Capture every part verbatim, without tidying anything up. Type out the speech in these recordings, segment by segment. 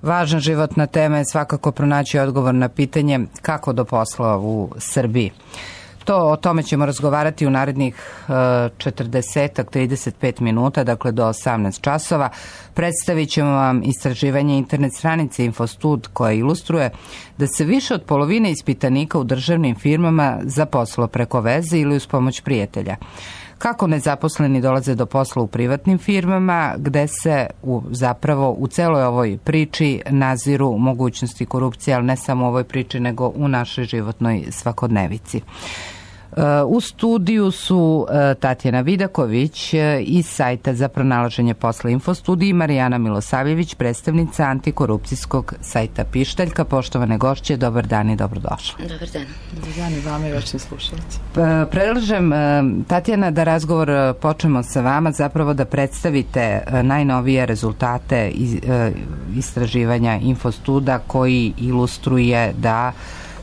Važna životna tema je svakako pronaći odgovor na pitanje kako do posla u Srbiji. To, o tome ćemo razgovarati u narednih četrdeset do trideset pet minuta, dakle do osamnaest časova. Predstavit ćemo vam istraživanje internet stranice Infostud koja ilustruje da se više od polovine ispitanika u državnim firmama zaposlilo preko veze ili uz pomoć prijatelja. Kako nezaposleni dolaze do posla u privatnim firmama, gde se u, zapravo u celoj ovoj priči naziru mogućnosti korupcije, ali ne samo u ovoj priči, nego u našoj životnoj svakodnevici. U studiju su Tatjana Vidaković iz sajta za pronalaženje posla Infostud i Marijana Milosavljević, predstavnica antikorupcijskog sajta Pištaljka. Poštovane gošće, dobar dan i dobrodošli. Dobar dan. Dobar dan i vama i vašim slušalci. Predlažem, Tatjana, da razgovor počnemo sa vama, zapravo da predstavite najnovije rezultate istraživanja Infostuda koji ilustruje da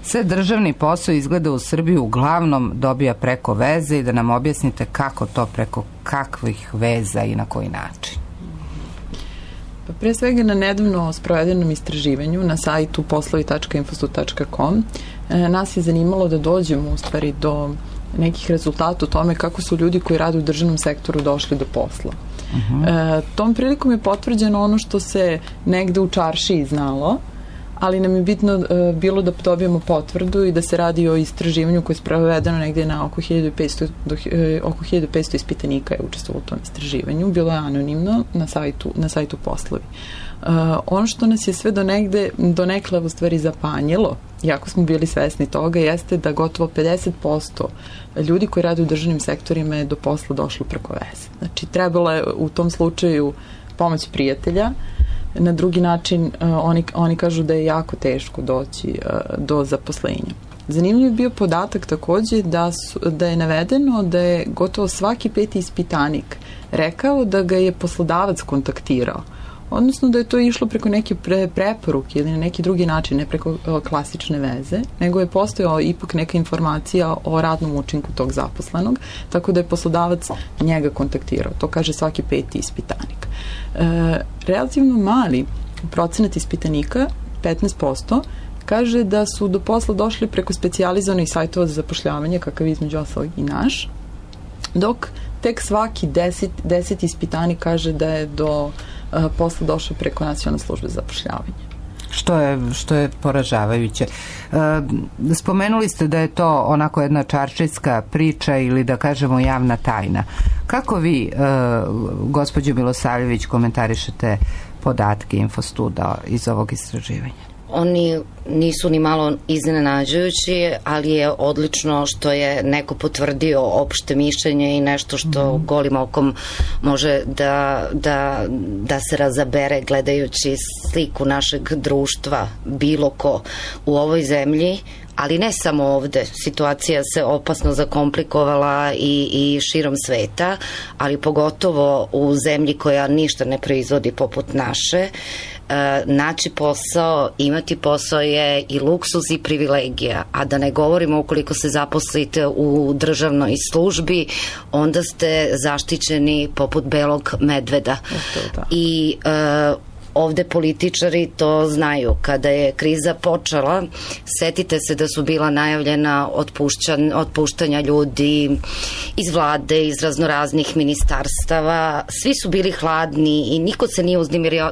sve državni posao izgleda u Srbiji uglavnom dobija preko veze i da nam objasnite kako to, preko kakvih veza i na koji način. Pa pre svega na nedavno sprovedenom istraživanju na sajtu poslovi tačka infostud tačka com nas je zanimalo da dođemo u stvari do nekih rezultata o tome kako su ljudi koji rade u državnom sektoru došli do posla. Uh-huh. E, tom prilikom je potvrđeno ono što se negde u čaršiji znalo, ali nam je bitno uh, bilo da dobijemo potvrdu i da se radi o istraživanju koje je sprovedeno negdje na oko hiljadu petsto, do, uh, oko hiljadu petsto ispitanika je učestvovalo u tom istraživanju. Bilo je anonimno na sajtu, na sajtu poslovi. Uh, ono što nas je sve do negde, do nekle u stvari zapanjilo, jako smo bili svesni toga, jeste da gotovo pedeset posto ljudi koji rade u državnim sektorima je do posla došlo preko veze. Znači, trebalo je u tom slučaju pomoć prijatelja. Na drugi način uh, oni, oni kažu da je jako teško doći uh, do zaposlenja. Zanimljiv je bio podatak takođe da, su, da je navedeno da je gotovo svaki peti ispitanik rekao da ga je poslodavac kontaktirao. Odnosno da je to išlo preko neke pre, preporuke ili na neki drugi način, ne preko uh, klasične veze, nego je postojao ipak neka informacija o radnom učinku tog zaposlenog, tako da je poslodavac njega kontaktirao. To kaže svaki peti ispitanik. E, relativno mali procenat ispitanika, petnaest posto, kaže da su do posla došli preko specijalizovanih sajtova za zapošljavanje, kakav je između ostalog i naš, dok tek svaki deset, deset ispitanik kaže da je do uh, posla došao preko Nacionalne službe za zapošljavanje. Što je, što je poražavajuće. E, spomenuli ste da je to onako jedna čaršijska priča ili da kažemo javna tajna. Kako vi, e, gospođo Milosavljević, komentarišete podatke Infostuda iz ovog istraživanja? Oni nisu ni malo iznenađujući, ali je odlično što je neko potvrdio opšte mišljenje i nešto što mm. golim okom može da, da, da se razabere gledajući sliku našeg društva, bilo ko u ovoj zemlji, ali ne samo ovde. Situacija se opasno zakomplikovala i, i širom sveta, ali pogotovo u zemlji koja ništa ne proizvodi poput naše. E, naći posao, imati posao je i luksuz i privilegija, a da ne govorimo ukoliko se zaposlite u državnoj službi, onda ste zaštićeni poput belog medveda. I e, ovde političari to znaju. Kada je kriza počela, setite se da su bila najavljena otpuštanja ljudi iz vlade, iz raznoraznih ministarstava. Svi su bili hladni i niko se nije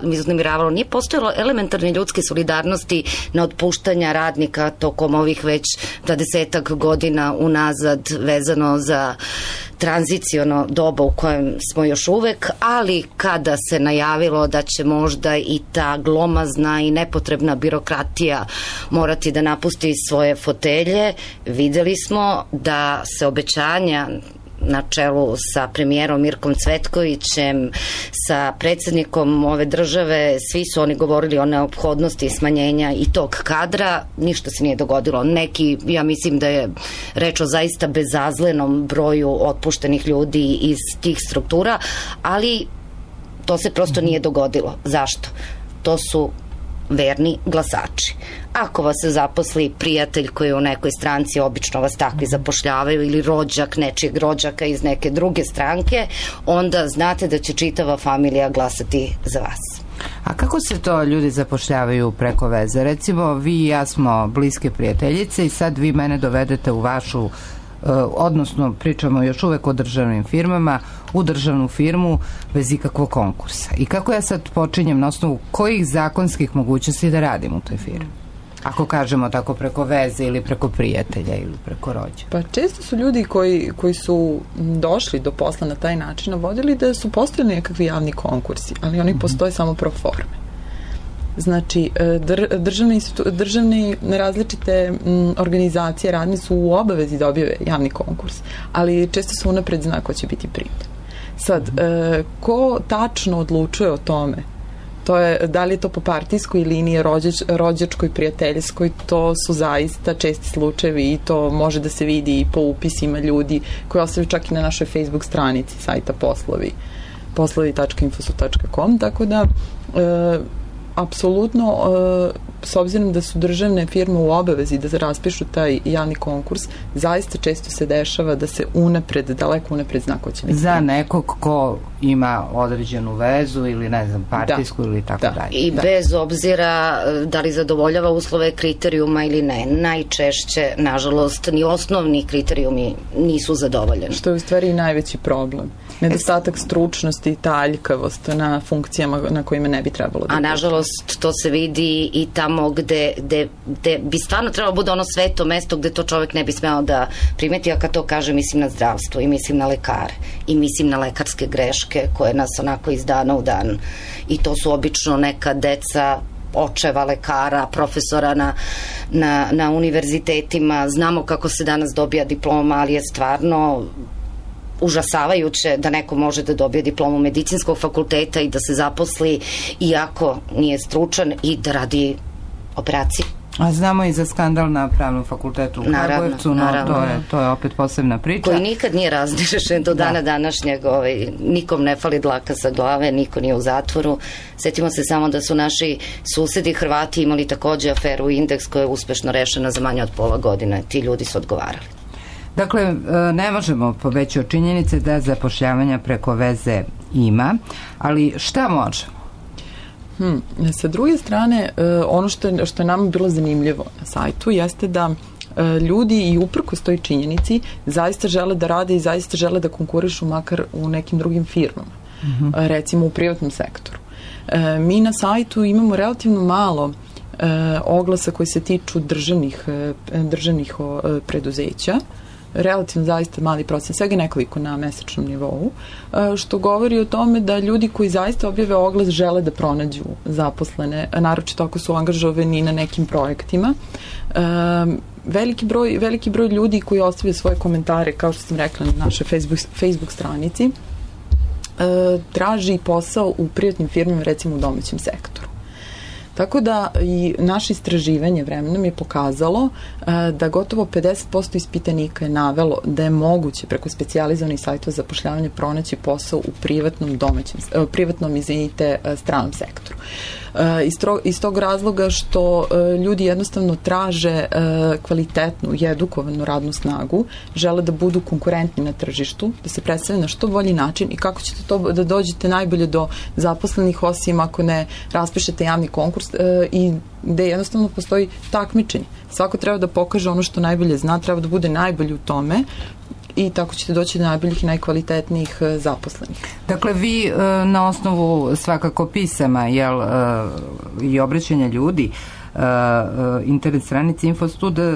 uznemiravalo. Nije postojalo elementarne ljudske solidarnosti na otpuštanja radnika tokom ovih već dvadesetak godina unazad vezano za tranziciono doba u kojem smo još uvek, ali kada se najavilo da će možda i ta glomazna i nepotrebna birokratija morati da napusti svoje fotelje, videli smo da se obećanja na čelu sa premijerom Mirkom Cvetkovićem, sa predsjednikom ove države, svi su oni govorili o neophodnosti smanjenja i tog kadra, ništa se nije dogodilo. Neki, ja mislim da je reč o zaista bezazlenom broju otpuštenih ljudi iz tih struktura, ali to se prosto nije dogodilo. Zašto? To su verni glasači. Ako vas se zaposli prijatelj koji je u nekoj stranci, obično vas takvi zapošljavaju, ili rođak nečijeg rođaka iz neke druge stranke, onda znate da će čitava familija glasati za vas. A kako se to ljudi zapošljavaju preko veze? Recimo, vi i ja smo bliske prijateljice i sad vi mene dovedete u vašu, odnosno pričamo još uvek o državnim firmama, u državnu firmu bez ikakvog konkursa. I kako ja sad počinjem, na osnovu kojih zakonskih mogućnosti da radim u toj firmi? Ako kažemo tako preko veze ili preko prijatelja ili preko rođa. Pa često su ljudi koji, koji su došli do posla na taj način navodili da su postojali nekakvi javni konkursi, ali oni mm-hmm. postoje samo pro forme. Znači, dr, državne, državne različite m, organizacije radne su u obavezi da objave javni konkurs, ali često se unapred zna ko će biti primljen. Sad, e, ko tačno odlučuje o tome? To je, da li je to po partijskoj liniji, rođač, rođačkoj, prijateljskoj, to su zaista česti slučajevi i to može da se vidi i po upisima ljudi koji ostavljaju čak i na našoj Facebook stranici sajta poslovi, poslovi tačka infosu tačka com, tako da e, apsolutno, e, s obzirom da su državne firme u obavezi da raspišu taj javni konkurs, zaista često se dešava da se unapred, daleko unapred zna ko će biti. Za nekog ko ima određenu vezu ili ne znam, partijsku da. Ili tako da. Dalje. I da. Bez obzira da li zadovoljava uslove kriterijuma ili ne, najčešće, nažalost, ni osnovni kriterijumi nisu zadovoljeni. Što je u stvari i najveći problem. Nedostatak stručnosti i taljkavost na funkcijama na kojima ne bi trebalo da. A nažalost to se vidi i tamo gde, gde, gde bi stvarno trebalo bude ono sveto mesto gde to čovjek ne bi smeo da primeti, a kad to kaže mislim na zdravstvo i mislim na lekare i mislim na lekarske greške koje nas onako iz dana u dan, i to su obično neka deca očeva lekara, profesora na, na, na univerzitetima. Znamo kako se danas dobija diploma, ali je stvarno užasavajuće da neko može da dobije diplomu medicinskog fakulteta i da se zaposli iako nije stručan i da radi operaciju. A znamo i za skandal na Pravnom fakultetu u Kragujevcu, no naravno. To, je, to je opet posebna priča. Koji nikad nije razrešen do dana da. današnjeg, ovaj, nikom ne fali dlaka sa glave, niko nije u zatvoru. Setimo se samo da su naši susedi Hrvati imali takođe aferu Indeks koja je uspešno rešena za manje od pola godine. Ti ljudi su odgovarali. Dakle, ne možemo pobeći od činjenice da zapošljavanja preko veze ima, ali šta možemo? Hmm. Sa druge strane, ono što je, što je nama bilo zanimljivo na sajtu jeste da ljudi i uprkos toj činjenici zaista žele da rade i zaista žele da konkurišu makar u nekim drugim firmama, mm-hmm. recimo u privatnom sektoru. Mi na sajtu imamo relativno malo oglasa koji se tiču državnih, državnih preduzeća, relativno zaista mali procent, svega nekoliko na mesečnom nivou, što govori o tome da ljudi koji zaista objave oglas žele da pronađu zaposlene, naročito ako su angažovani na nekim projektima. Veliki broj, veliki broj ljudi koji ostavljaju svoje komentare, kao što sam rekla na našoj Facebook, Facebook stranici, traži posao u privatnim firmama, recimo u domaćem sektoru. Tako da i naše istraživanje vremenom je pokazalo da gotovo pedeset posto ispitanika je navelo da je moguće preko specijalizovanih sajtova za zapošljavanje pronaći posao u privatnom domaćem, privatnom, izvinite, stranom sektoru. Iz, tro, iz tog razloga što ljudi jednostavno traže kvalitetnu i edukovanu radnu snagu, žele da budu konkurentni na tržištu, da se predstave na što bolji način i kako ćete to da dođete najbolje do zaposlenih, osim ako ne raspišete javni konkurs i gde jednostavno postoji takmičenje. Svako treba da pokaže ono što najbolje zna, treba da bude najbolji u tome i tako ćete doći do najboljih i najkvalitetnijih zaposlenih. Dakle, vi na osnovu svakako pisama jel, i obraćanja ljudi internet stranici Infostuda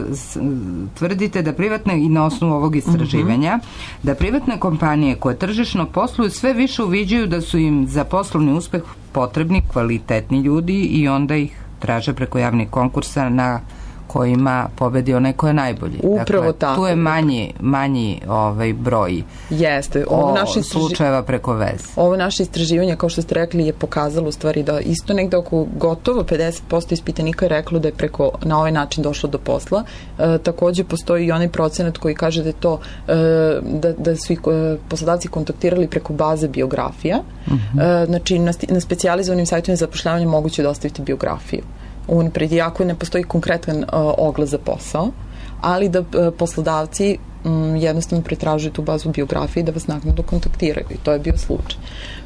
tvrdite da privatne, i na osnovu ovog istraživanja, mm-hmm. da privatne kompanije koje tržišno posluju sve više uviđaju da su im za poslovni uspeh potrebni kvalitetni ljudi i onda ih traže preko javnih konkursa na kojima pobedi onaj ko je najbolji. Upravo dakle, tako. Tu je manji, manji ovaj broj Jeste. Ovo naše istraži... slučajeva preko veze. Ovo naše istraživanje, kao što ste rekli, je pokazalo u stvari da isto negde oko gotovo pedeset posto ispitanika je reklo da je preko, na ovaj način došlo do posla. E, takođe postoji i onaj procenat koji kaže da je to e, da, da su i e, poslodavci kontaktirali preko baze biografija. Uh-huh. E, znači na, na specijalizovanim sajtovima za zapošljavanje moguće da ostaviti biografiju. Unapred, iako ne postoji konkretan uh, oglas za posao, ali da uh, poslodavci m, jednostavno pretražuju tu bazu biografije i da vas naknadno kontaktiraju i to je bio slučaj.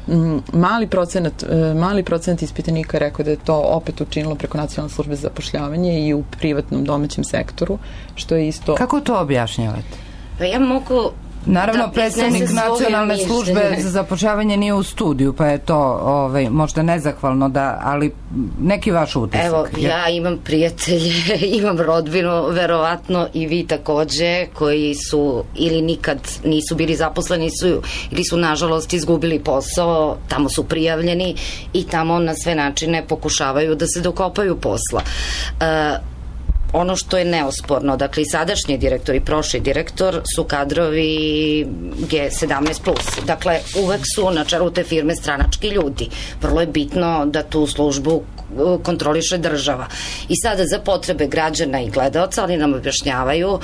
M, mali procenat, mali procenat ispitanika je rekao da je to opet učinilo preko Nacionalne službe za zapošljavanje i u privatnom domaćem sektoru, što je isto... Kako to objašnjavate? Pa ja mogu... Naravno, da, predstavnik Nacionalne službe za zapošljavanje nije u studiju, pa je to ovaj, možda nezahvalno, da, ali neki vaš utisak. Evo, ja imam prijatelje, imam rodbinu, verovatno i vi takođe, koji su ili nikad nisu bili zaposleni su, ili su nažalost izgubili posao, tamo su prijavljeni i tamo na sve načine pokušavaju da se dokopaju posla. Uh, Ono što je neosporno, dakle i sadašnji direktor i prošli direktor su kadrovi G sedamnaest plus. Dakle, uvek su na čelu te firme stranački ljudi. Vrlo je bitno da tu službu kontroliše država. I sada za potrebe građana i gledaoca oni nam objašnjavaju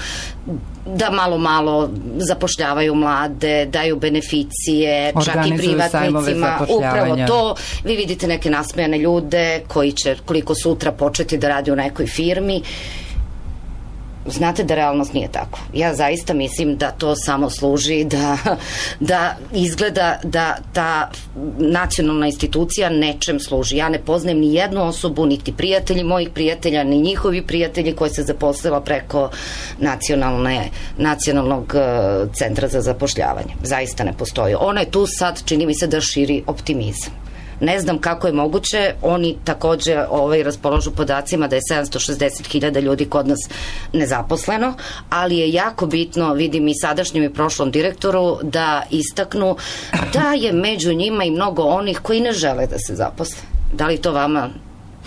da malo malo zapošljavaju mlade, daju beneficije, čak i privatnicima, upravo to. Vi vidite neke nasmejane ljude koji će koliko sutra početi da radi u nekoj firmi. Znate da realnost nije tako. Ja zaista mislim da to samo služi da, da izgleda da ta nacionalna institucija nečem služi. Ja ne poznajem ni jednu osobu, niti prijatelji mojih prijatelja, ni njihovi prijatelji koji se zaposlila preko nacionalne, nacionalnog centra za zapošljavanje. Zaista ne postoji. Ona je tu sad, čini mi se da širi optimizam. Ne znam kako je moguće, oni takođe ovaj, raspoložu podacima da je sedamsto šezdeset hiljada ljudi kod nas nezaposleno, ali je jako bitno, vidim i sadašnjem i prošlom direktoru, da istaknu da je među njima i mnogo onih koji ne žele da se zaposle. Da li to vama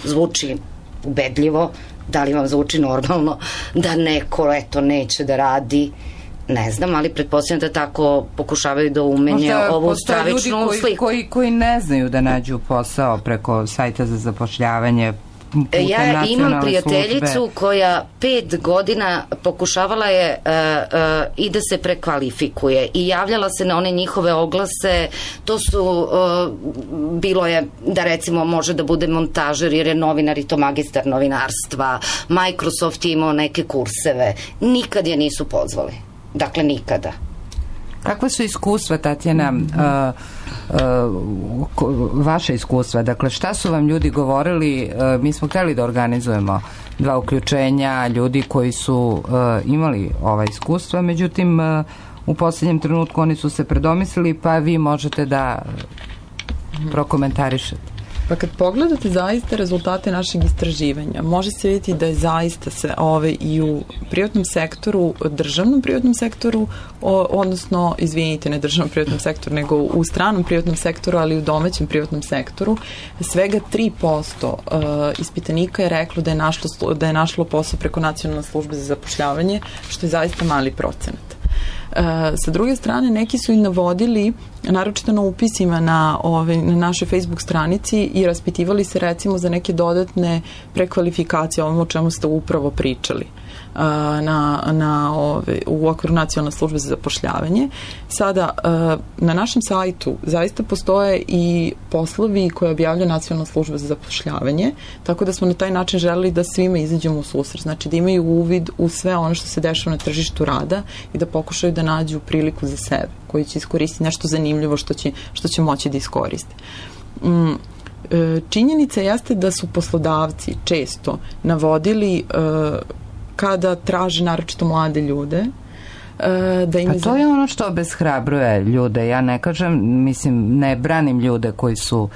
zvuči ubedljivo? Da li vam zvuči normalno da neko, eto, neće da radi? Ne znam, ali pretpostavljam da tako pokušavaju da umenje ovu stravičnu koji, sliku. Koji, koji ne znaju da nađu posao preko sajta za zapošljavanje putem ja nacionalne imam prijateljicu službe. Koja pet godina pokušavala je uh, uh, i da se prekvalifikuje i javljala se na one njihove oglase. To su uh, bilo je da recimo može da bude montažer jer je novinar i to magistar novinarstva. Microsoft je imao neke kurseve. Nikad je nisu pozvali. Dakle, nikada. Kakva su iskustva, Tatjana, uh, uh, vaše iskustva? Dakle, šta su vam ljudi govorili? Uh, mi smo hteli da organizujemo dva uključenja ljudi koji su uh, imali ova iskustva, međutim, uh, u posljednjem trenutku oni su se predomislili, pa vi možete da prokomentarišete. Pa kad pogledate zaista rezultate našeg istraživanja, može se vidjeti da je zaista se ove i u privatnom sektoru, državnom privatnom sektoru, o, odnosno, izvinite, ne državnom privatnom sektoru, nego u stranom privatnom sektoru, ali i u domaćem privatnom sektoru, svega tri posto uh, ispitanika je reklo da je, našlo, da je našlo posao preko Nacionalne službe za zapošljavanje, što je zaista mali procenat. Uh, sa druge strane, neki su i navodili, naročito na upisima na, ove, na našoj Facebook stranici i raspitivali se recimo za neke dodatne prekvalifikacije, ovom o čemu ste upravo pričali. Na, na ove, u okviru Nacionalne službe za zapošljavanje. Sada, na našem sajtu zaista postoje i poslovi koje objavlja Nacionalna služba za zapošljavanje, tako da smo na taj način želeli da svima izađemo u susret, znači da imaju uvid u sve ono što se dešava na tržištu rada i da pokušaju da nađu priliku za sebe, koji će iskoristiti nešto zanimljivo što će, što će moći da iskoriste. Mm. Činjenica jeste da su poslodavci često navodili kada traže naročito mlade ljude. Da im pa to je ono što obeshrabruje ljude. Ja ne kažem, mislim, ne branim ljude koji su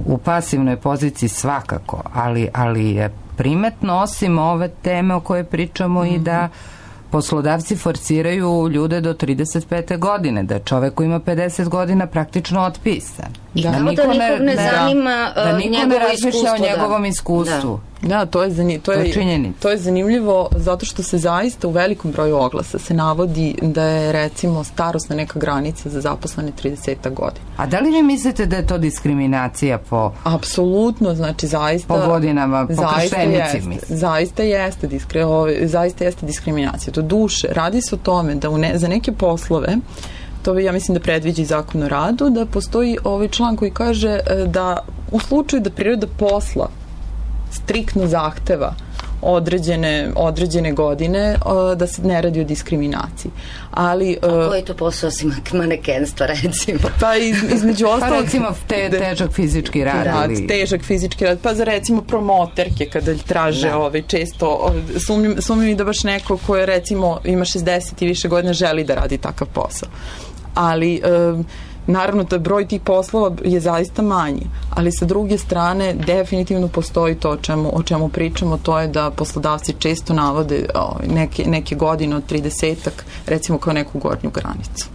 u pasivnoj poziciji svakako, ali, ali je primetno osim ove teme o kojoj pričamo mm-hmm. i da poslodavci forsiraju ljude do trideset pete godine, da čovek koji ima pedeset godina praktično otpisan. I da, da niko ne, ne zanima da, da niko ne razmišlja o njegovom iskustvu. Da, da to, je zanim, to, je, to je zanimljivo zato što se zaista u velikom broju oglasa se navodi da je recimo starosna neka granica za zaposlene trideset godina. A da li vi mislite da je to diskriminacija po... Apsolutno, znači zaista... Po godinama, po krštenici, mislim. Zaista jeste, diskri, zaista jeste diskriminacija. Do duše, radi se o tome da u ne, za neke poslove to ja mislim da predviđa i Zakon o radu, da postoji ovaj član koji kaže da u slučaju da priroda posla striktno zahteva određene, određene godine, da se ne radi o diskriminaciji. Ali, a koji to posao osim manekenstva, recimo? Pa iz, između ostalog... Pa recimo te, težak fizički rad. rad ili... Težak fizički rad, pa za recimo promoterke kada traže da. Ove, često, sumnjim, sumnjim i da baš neko ko je recimo ima šezdeset i više godina želi da radi takav posao. Ali... Um, naravno, taj broj tih poslova je zaista manji, ali sa druge strane definitivno postoji to o čemu, o čemu pričamo, to je da poslodavci često navode o, neke, neke godine od tridesetak, recimo kao neku gornju granicu.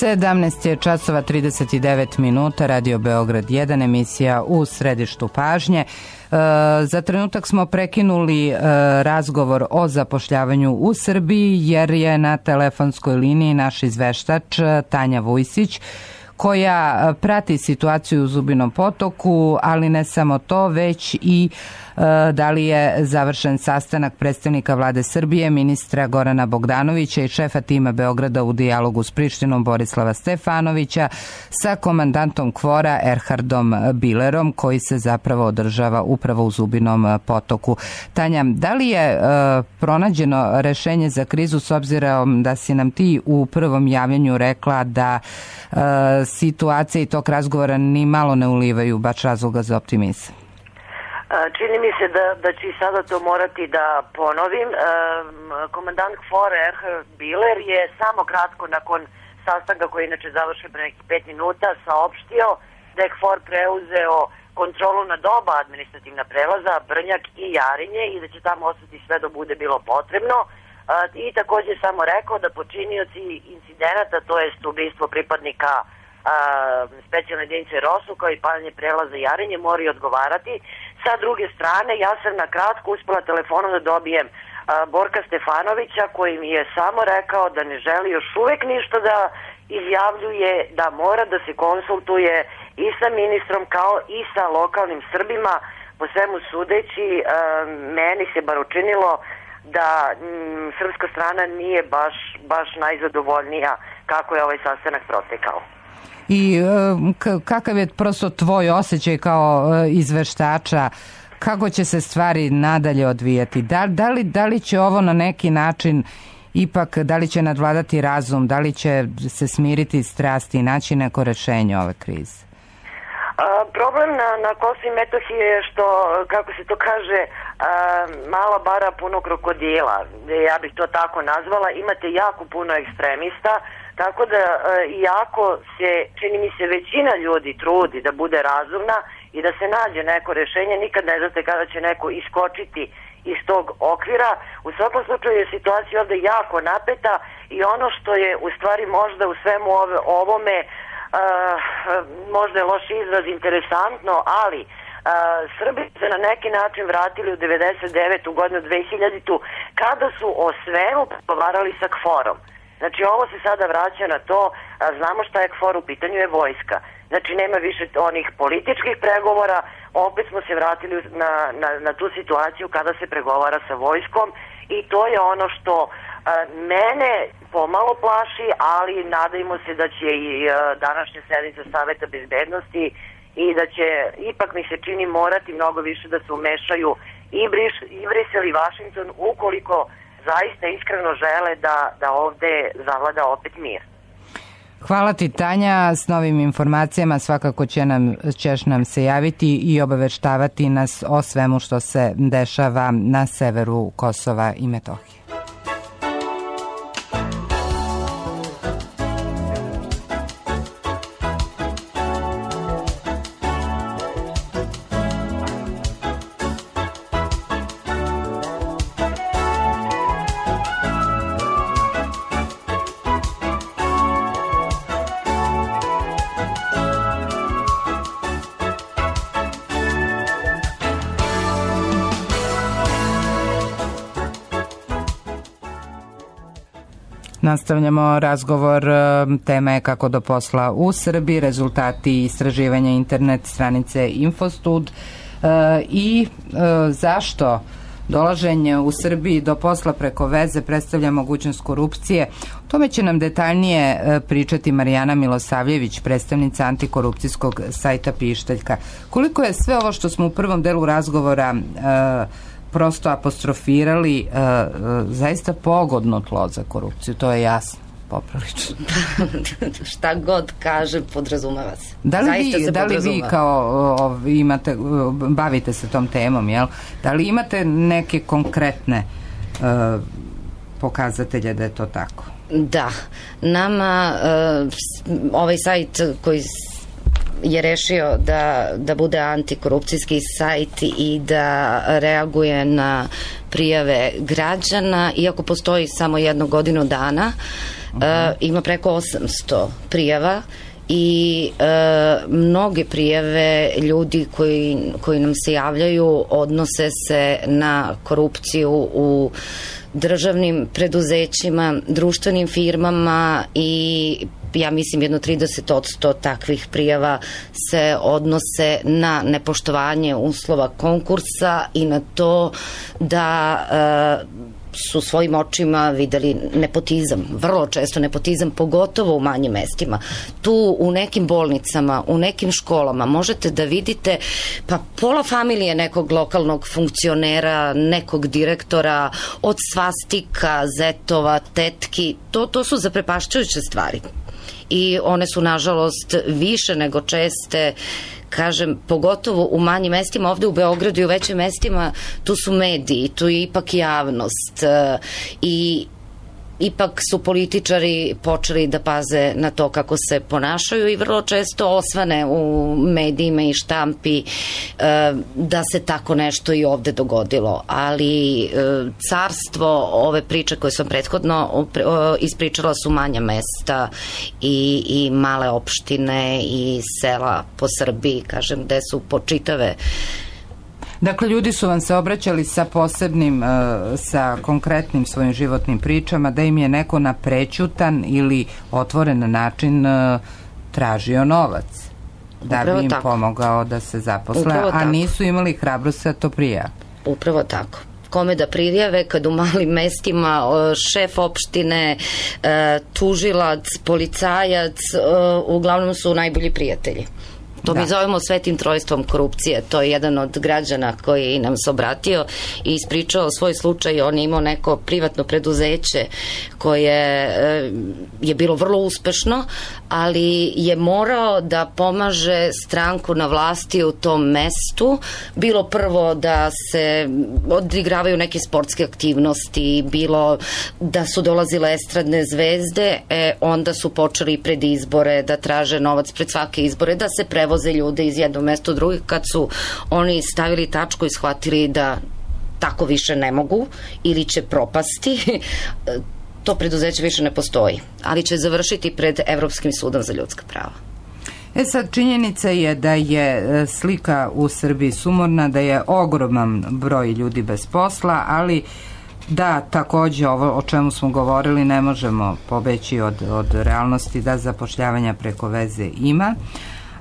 sedamnaest je časova trideset devet minuta, Radio Beograd jedan, emisija u središtu pažnje. E, za trenutak smo prekinuli e, razgovor o zapošljavanju u Srbiji, jer je na telefonskoj liniji naš izveštač Tanja Vujsić, koja prati situaciju u Zubinom Potoku, ali ne samo to, već i e, da li je završen sastanak predstavnika Vlade Srbije, ministra Gorana Bogdanovića i šefa tima Beograda u dijalogu s Prištinom Borislava Stefanovića sa komandantom KFOR-a Erhardom Bilerom, koji se zapravo održava upravo u Zubinom Potoku. Tanja, da li je e, pronađeno rešenje za krizu, s obzirom da si nam ti u prvom javljanju rekla da e, situacija i tok razgovora ni malo ne ulivaju baš razloga za optimizam? Čini mi se da, da će sada to morati da ponovim. Komandant KFOR-a Erhard Biler je samo kratko nakon sastanka koji je inače završen pre nekih pet minuta saopštio da je KFOR preuzeo kontrolu nad oba administrativna prelaza, Brnjak i Jarinje, i da će tamo ostati sve do bude bilo potrebno. I takođe samo rekao da počinioci incidenata, to jest ubistvo pripadnika specijalne jedinice ROSU kao i paljenje prelaza Jarinje, moraju odgovarati. Sa druge strane, ja sam na kratko uspela telefonom da dobijem a, Borka Stefanovića, koji mi je samo rekao da ne želi još uvek ništa da izjavljuje, da mora da se konsultuje i sa ministrom kao i sa lokalnim Srbima. Po svemu sudeći, a, meni se bar učinilo da m, srpska strana nije baš, baš najzadovoljnija kako je ovaj sastanak protekao. I kakav je prosto tvoj osjećaj kao izveštača, kako će se stvari nadalje odvijati? Da, da, li, da li će ovo na neki način ipak, da li će nadvladati razum, da li će se smiriti strasti i naći neko rešenje ove krize? A, problem na, na Kosovu i Metohiji je što, kako se to kaže, a, mala bara puno krokodila, ja bih to tako nazvala. Imate jako puno ekstremista, tako da iako se, čini mi se, većina ljudi trudi da bude razumna i da se nađe neko rešenje, nikad ne znate kada će neko iskočiti iz tog okvira. U svakom slučaju je situacija ovde jako napeta i ono što je u stvari možda u svemu ove, ovome uh, možda je loš izraz, interesantno, ali uh, Srbi se na neki način vratili u devedeset devetu godinu, dve hiljaditu, kada su o svemu pregovarali sa KFOR-om. Znači, ovo se sada vraća na to, a znamo šta je KFOR, u pitanju je vojska. Znači, nema više onih političkih pregovora, opet smo se vratili na, na, na tu situaciju kada se pregovara sa vojskom i to je ono što a, mene pomalo plaši, ali nadajmo se da će i a, današnja sednica Saveta bezbednosti i da će, ipak mi se čini, morati mnogo više da se umešaju i, Briš, i Brisel i Vašington, ukoliko zaista iskreno žele da, da ovde zavlada opet mir. Hvala ti, Tanja. S novim informacijama svakako će nam, ćeš nam se javiti i obaveštavati nas o svemu što se dešava na severu Kosova i Metohije. Nastavljamo razgovor, tema je kako do posla u Srbiji, rezultati istraživanja internet stranice Infostud i zašto dolaženje u Srbiji do posla preko veze predstavlja mogućnost korupcije. O tome će nam detaljnije pričati Marijana Milosavljević, predstavnica antikorupcijskog sajta Pištaljka. Koliko je sve ovo što smo u prvom delu razgovora prosto apostrofirali, uh, uh, zaista pogodno tlo za korupciju, to je jasno, poprilično. Šta god kaže, podrazumeva se. Da li, vi, da li vi kao uh, imate, uh, bavite se tom temom, jel? Da li imate neke konkretne uh, pokazatelje da je to tako? Da. Nama uh, ovaj sajt koji je rešio da, da bude antikorupcijski sajt i da reaguje na prijave građana, iako postoji samo jednu godinu dana, uh-huh. uh, ima preko osamsto prijava i e, mnoge prijave ljudi koji, koji nam se javljaju odnose se na korupciju u državnim preduzećima, društvenim firmama i ja mislim jedno trideset posto takvih prijava se odnose na nepoštovanje uslova konkursa i na to da e, su svojim očima videli nepotizam, vrlo često nepotizam, pogotovo u manjim mestima. Tu u nekim bolnicama, u nekim školama možete da vidite pa pola familije nekog lokalnog funkcionera, nekog direktora, od svastika, zetova, tetki, to, to su zaprepašćujuće stvari. I one su nažalost više nego česte, kažem, pogotovo u manjim mestima, ovde u Beogradu i u većim mestima, tu su mediji, tu je ipak javnost i ipak su političari počeli da paze na to kako se ponašaju i vrlo često osvane u medijima i štampi da se tako nešto i ovde dogodilo. Ali carstvo ove priče koje sam prethodno ispričala su manja mesta i, i male opštine i sela po Srbiji, kažem, gde su počitave. Dakle, ljudi su vam se obraćali sa posebnim, sa konkretnim svojim životnim pričama, da im je neko na prećutan ili otvoren način tražio novac, da bi im pomogao da se zaposle, a nisu imali hrabrost da to prijave. Upravo tako. Kome da prijave kad u malim mestima šef opštine, tužilac, policajac, uglavnom su najbolji prijatelji. To da. Mi zovemo svetim trojstvom korupcije. To je jedan od građana koji nam se obratio i ispričao svoj slučaj. On je imao neko privatno preduzeće koje je bilo vrlo uspešno, ali je morao da pomaže stranku na vlasti u tom mestu. Bilo prvo da se odigravaju neke sportske aktivnosti, bilo da su dolazile estradne zvezde, e, onda su počeli pred izbore da traže novac pred svake izbore, da se prevoze ljude iz jednog mesta u drugi. Kad su oni stavili tačku i shvatili da tako više ne mogu ili će propasti, to preduzeće više ne postoji, ali će završiti pred Evropskim sudom za ljudska prava. E sad, činjenica je da je slika u Srbiji sumorna, da je ogroman broj ljudi bez posla, ali da takođe ovo o čemu smo govorili ne možemo pobeći od, od realnosti da zapošljavanja preko veze ima.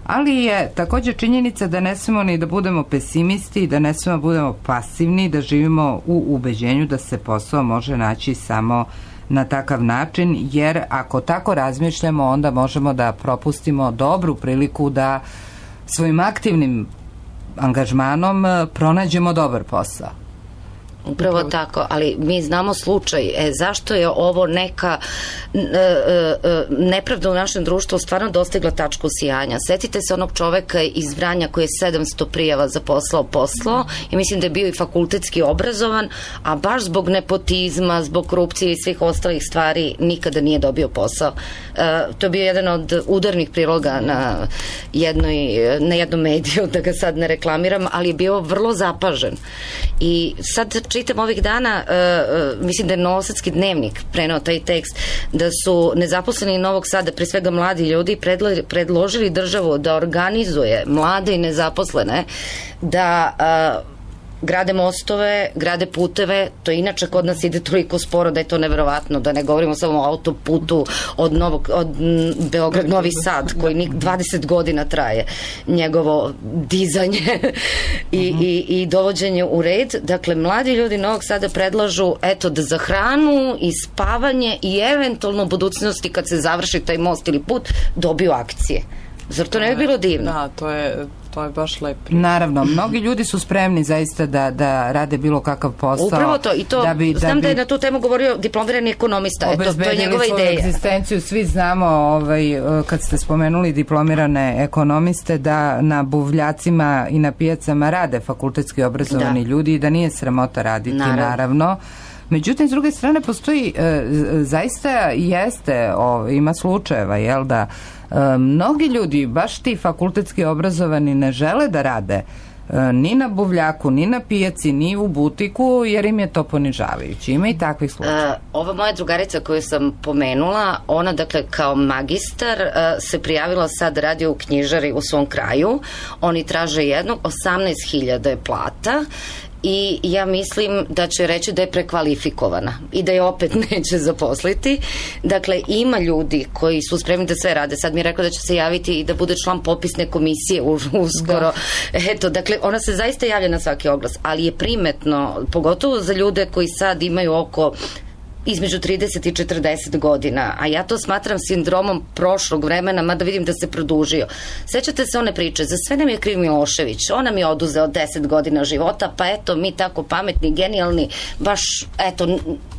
Ali je takođe činjenica da ne smemo ni da budemo pesimisti, da ne smemo da budemo pasivni, da živimo u ubeđenju da se posao može naći samo na takav način, jer ako tako razmišljamo, onda možemo da propustimo dobru priliku da svojim aktivnim angažmanom pronađemo dobar posao. Upravo, Upravo tako, ali mi znamo slučaj, e, zašto je ovo neka e, e, nepravda u našem društvu stvarno dostigla tačku sijanja. Setite se onog čoveka iz Vranja koji je sedamsto prijava za posao poslao i mislim da je bio i fakultetski obrazovan, a baš zbog nepotizma, zbog korupcije i svih ostalih stvari nikada nije dobio posao. E, to je bio jedan od udarnih priloga na, jednoj, na jednom mediju, da ga sad ne reklamiram, ali je bio vrlo zapažen. I sad čitam ovih dana, uh, mislim da je Novosadski dnevnik preneo taj tekst, da su nezaposleni Novog Sada, pre svega mladi ljudi, predla, predložili državu da organizuje mlade i nezaposlene da uh, grade mostove, grade puteve, to inače kod nas ide toliko sporo da je to neverovatno, da ne govorimo samo o autoputu od, Novog, od Beograd Novi Sad, koji dvadeset godina traje njegovo dizanje i, uh-huh. i, i dovođenje u red. Dakle, mladi ljudi Novog Sada predlažu, eto, da za hranu i spavanje i eventualno u budućnosti kad se završi taj most ili put, dobiju akcije. Zar to ne bi bilo divno? Da, to je... To je baš lep. Naravno, mnogi ljudi su spremni zaista da, da rade bilo kakav posao. Upravo to, i to, da bi, znam da, bi da je na tu temu govorio diplomirani ekonomista, eto, to je njegova ideja. Obezbedili svoju egzistenciju, svi znamo, ovaj, kad ste spomenuli diplomirane ekonomiste, da na buvljacima i na pijacama rade fakultetski obrazovani da. ljudi i da nije sramota raditi, naravno. naravno. Međutim, s druge strane, postoji, e, zaista jeste, o, ima slučajeva, jel da, e, mnogi ljudi, baš ti fakultetski obrazovani, ne žele da rade e, ni na buvljaku, ni na pijaci, ni u butiku, jer im je to ponižavajući. Ima i takvih slučajeva. E, ova moja drugarica koju sam pomenula, ona, dakle, kao magistar e, se prijavila sad, radi u knjižari u svom kraju. Oni traže jednog, osamnaest hiljada je plata, i ja mislim da će reći da je prekvalifikovana i da je opet neće zaposliti. Dakle, ima ljudi koji su spremni da sve rade. Sad mi je rekla da će se javiti i da bude član popisne komisije uskoro. Da. Eto, dakle, ona se zaista javlja na svaki oglas, ali je primetno, pogotovo za ljude koji sad imaju oko između trideset i četrdeset godina, a ja to smatram sindromom prošlog vremena, mada vidim da se produžio. Sećate se one priče, za sve nam je kriv Milošević, on nam je oduzeo deset godina života, pa eto, mi tako pametni, genijalni, baš, eto, n-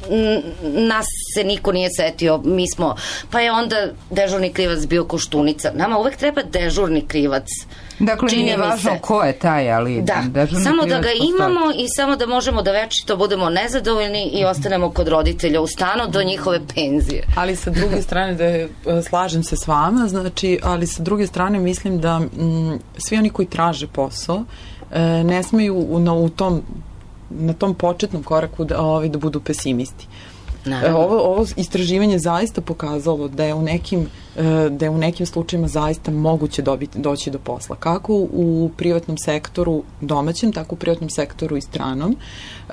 n- nas se niko nije setio, mi smo, pa je onda dežurni krivac bio Koštunica. Nama uvek treba dežurni krivac. Dakle, čini nije važno se. Ko je taj, ali... Da, samo da ga imamo i samo da možemo da večito budemo nezadovoljni i ostanemo kod roditelja u stanu do njihove penzije. Ali sa druge strane, da slažem se s vama, znači, ali sa druge strane mislim da m, svi oni koji traže posao e, ne smeju u, na, u tom, na tom početnom koraku da, ovi, da budu pesimisti. Ovo, ovo istraživanje zaista pokazalo da je u nekim, da je u nekim slučajima zaista moguće dobiti, doći do posla. Kako u privatnom sektoru domaćem, tako u privatnom sektoru i stranom.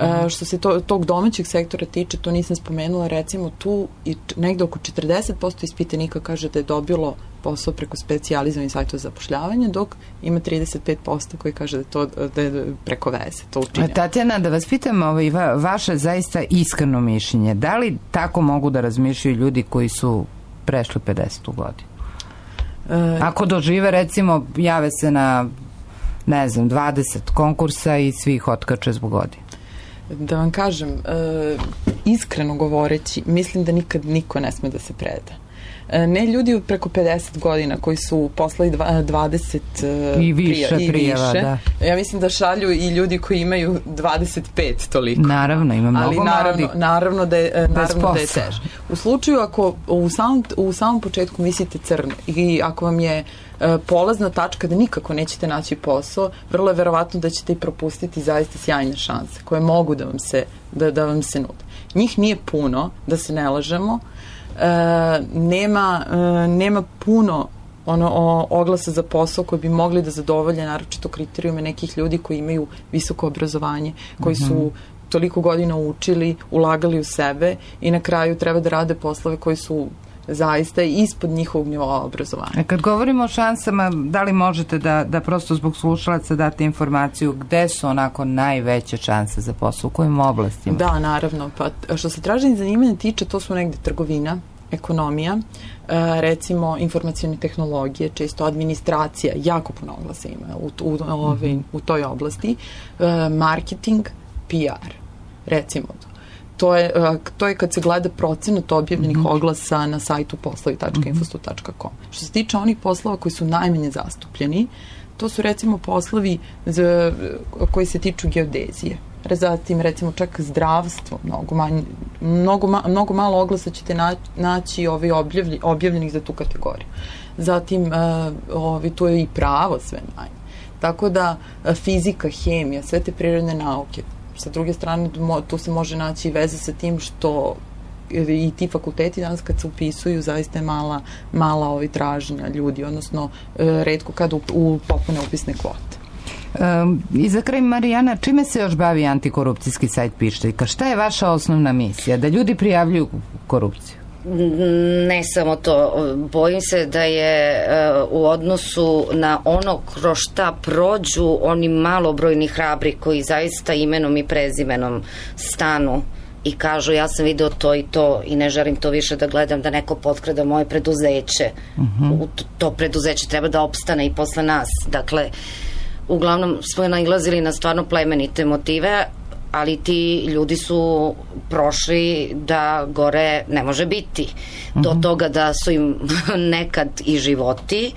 Mm. Što se to, tog domaćeg sektora tiče, to nisam spomenula, recimo tu i negde oko četrdeset posto ispitanika kaže da je dobilo posao preko specijalizovanih sajtova za zapošljavanje, dok ima trideset pet posto koji kaže da je to da je preko veze to učinjeno. Tatjana, da vas pitam ovaj, va, vaše zaista iskreno mišljenje, da li tako mogu da razmišljaju ljudi koji su prešli pedesetu godinu? E, Ako dožive, recimo, jave se na, ne znam, dvadeset konkursa i svih otkače zbog godine. Da vam kažem, e, iskreno govoreći, mislim da nikad niko ne sme da se preda. Ne ljudi preko pedeset godina koji su poslali dvadeset i više prija, i prijava, više. Da. Ja mislim da šalju i ljudi koji imaju dvadeset pet toliko. Naravno, ima mnogo ali naravno, mladih. Naravno da je, naravno da je teže. U slučaju ako u samom, u samom početku mislite crno i ako vam je uh, polazna tačka da nikako nećete naći posao, vrlo je verovatno da ćete i propustiti zaista sjajne šanse koje mogu da vam se, da, da vam se nude. Njih nije puno, da se ne lažemo. Uh, nema, uh, nema puno ono, o, oglasa za posao koji bi mogli da zadovolje naročito kriterijume nekih ljudi koji imaju visoko obrazovanje, koji su mm-hmm. toliko godina učili, ulagali u sebe i na kraju treba da rade poslove koji su zaista ispod njihovog nivoa obrazovanja. Kad govorimo o šansama, da li možete da, da prosto zbog slušalaca date informaciju gde su onako najveće šanse za posao, u kojim oblastima? Da, naravno. Pa, što se traženje zanimanja tiče, to su negde trgovina, ekonomija, recimo informacione tehnologije, često administracija, jako puno oglasa ima u, u, u, u toj oblasti, marketing, P R. recimo to. To je, to je kad se gleda procenat objavljenih mm-hmm. oglasa na sajtu poslovi tačka infostud tačka com. Što se tiče onih poslova koji su najmanje zastupljeni, to su recimo poslovi za, koji se tiču geodezije. Zatim recimo čak zdravstvo, mnogo, manj, mnogo, ma, mnogo malo oglasa ćete naći ovi objavlji, objavljenih za tu kategoriju. Zatim uh, ovi, to je i pravo sve manje. Tako da uh, fizika, hemija, sve te prirodne nauke. Sa druge strane, tu se može naći i veze sa tim što i ti fakulteti danas kad se upisuju zaista je mala, mala ovi traženja ljudi, odnosno retko kada u, u popune upisne kvote. Um, I za kraj, Marijana, čime se još bavi antikorupcijski sajt Pištaljka? Šta je vaša osnovna misija? Da ljudi prijavljuju korupciju? Ne samo to, bojim se da je uh, u odnosu na ono kroz šta prođu oni malobrojni hrabri koji zaista imenom i prezimenom stanu i kažu ja sam video to i to i ne želim to više da gledam, da neko potkrada moje preduzeće. Uh-huh. To preduzeće treba da opstane i posle nas. Dakle, uglavnom smo nailazili na stvarno plemenite motive, ali ti ljudi su prošli da gore ne može biti. Do uh-huh. toga da su im nekad i životi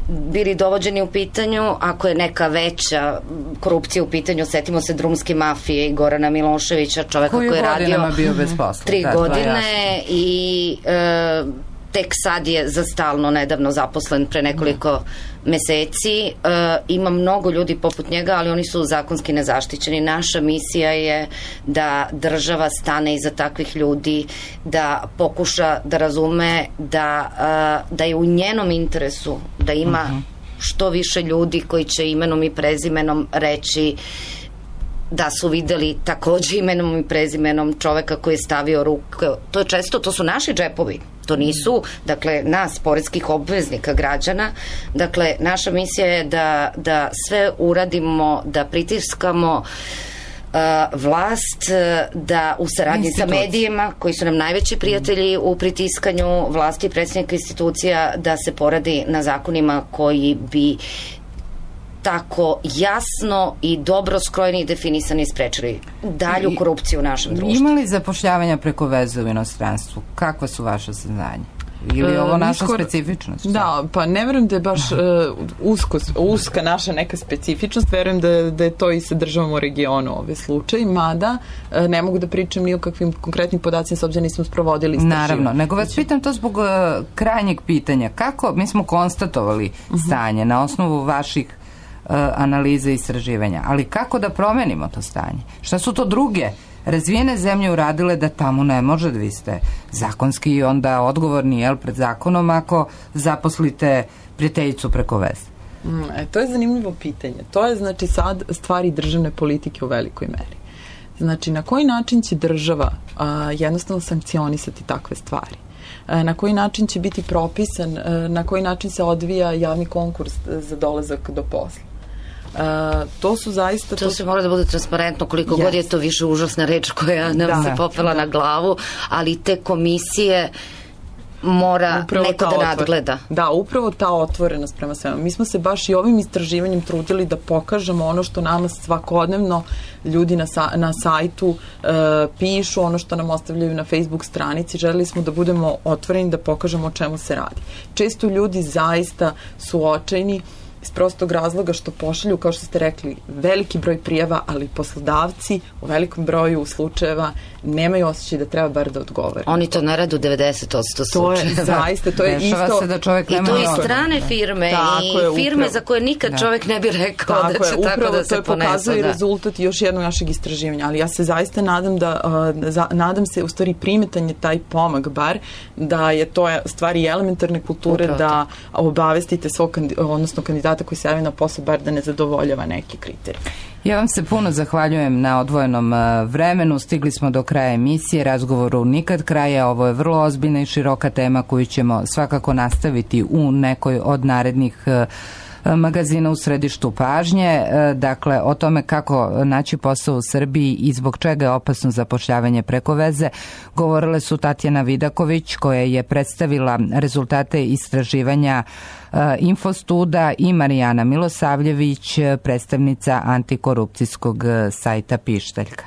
bili dovođeni u pitanju, ako je neka veća korupcija u pitanju, setimo se drumske mafije i Gorana Miloševića, čoveka koji je radio bio bez posla, tri da, godine i e, tek sad je za stalno nedavno zaposlen pre nekoliko da. meseci. E, ima mnogo ljudi poput njega, ali oni su zakonski nezaštićeni. Naša misija je da država stane iza takvih ljudi, da pokuša da razume da, e, da je u njenom interesu da ima uh-huh. što više ljudi koji će imenom i prezimenom reći da su videli takođe imenom i prezimenom čoveka koji je stavio ruke. To je često, to su naši džepovi. To nisu, dakle, nas, poreskih obveznika, građana. Dakle, naša misija je da, da sve uradimo, da pritiskamo uh, vlast, da u saradnji sa medijima, koji su nam najveći prijatelji u pritiskanju vlasti i predsjednika institucija, da se poradi na zakonima koji bi tako jasno i dobro skrojeni i definisani sprečili dalju korupciju u našem društvu. Ima li zapošljavanja preko veze u inostranstvu? Kakva su vaše saznanja? Ili je ovo naša Iskor... specifičnost? Da, pa ne verujem da je baš uh, usko, uska naša neka specifičnost, verujem da, da je to i sa državom u regionu ovaj slučaj, mada uh, ne mogu da pričam ni o kakvim konkretnim podacima, s obzirom nismo sprovodili istraživanje. Naravno, nego vas pitam to zbog uh, krajnjeg pitanja. Kako, mi smo konstatovali stanje uh-huh. na osnovu vaših analize i istraživanja. Ali kako da promenimo to stanje? Šta su to druge razvijene zemlje uradile da tamo ne može, da vi ste zakonski onda odgovorni, jel, pred zakonom ako zaposlite prijateljicu preko veze? Mm, e, to je zanimljivo pitanje. To je, znači, sad stvari državne politike u velikoj meri. Znači, na koji način će država a, jednostavno sankcionisati takve stvari? Na koji način će biti propisan, na koji način se odvija javni konkurs za dolazak do posla. Uh, to su zaista... To, to se mora da bude transparentno, koliko yes. god je to više užasna reč koja nam da, se popela da. na glavu, ali te komisije mora upravo neko da nadgleda. Da, upravo ta otvorenost prema svema. Mi smo se baš i ovim istraživanjem trudili da pokažemo ono što nama svakodnevno ljudi na, sa, na sajtu uh, pišu, ono što nam ostavljaju na Facebook stranici. Želeli smo da budemo otvoreni, da pokažemo o čemu se radi. Često ljudi zaista su očajni iz prostog razloga što pošalju, kao što ste rekli, veliki broj prijava, ali poslodavci u velikom broju slučajeva nemaju osjećaj da treba bar da odgovore. Oni to ne rade u devedeset posto slučajeva. To je zaista, to je Dešava isto... se da čovjek nema... I to i strane firme tako i je, firme upravo. Za koje nikad da. čovjek ne bi rekao tako da će je, tako da se ponese. To je pokazuje da. rezultat još jednog našeg istraživanja, ali ja se zaista nadam da, uh, za, nadam se, u stvari primetan je taj pomak bar, da je to stvari elementarne kulture upravo da to. obavestite svog, odnosno kandidata koji se javi na posao, bar da ne zadovoljava neki kriterij. Ja vam se puno zahvaljujem na odvojenom vremenu. Stigli smo do kraja emisije, razgovoru nikad kraja. Ovo je vrlo ozbiljna i široka tema koju ćemo svakako nastaviti u nekoj od narednih magazina u središtu pažnje. Dakle, o tome kako naći posao u Srbiji i zbog čega je opasno zapošljavanje preko veze govorile su Tatjana Vidaković, koja je predstavila rezultate istraživanja Infostuda, i Marijana Milosavljević, predstavnica antikorupcijskog sajta Pištaljka.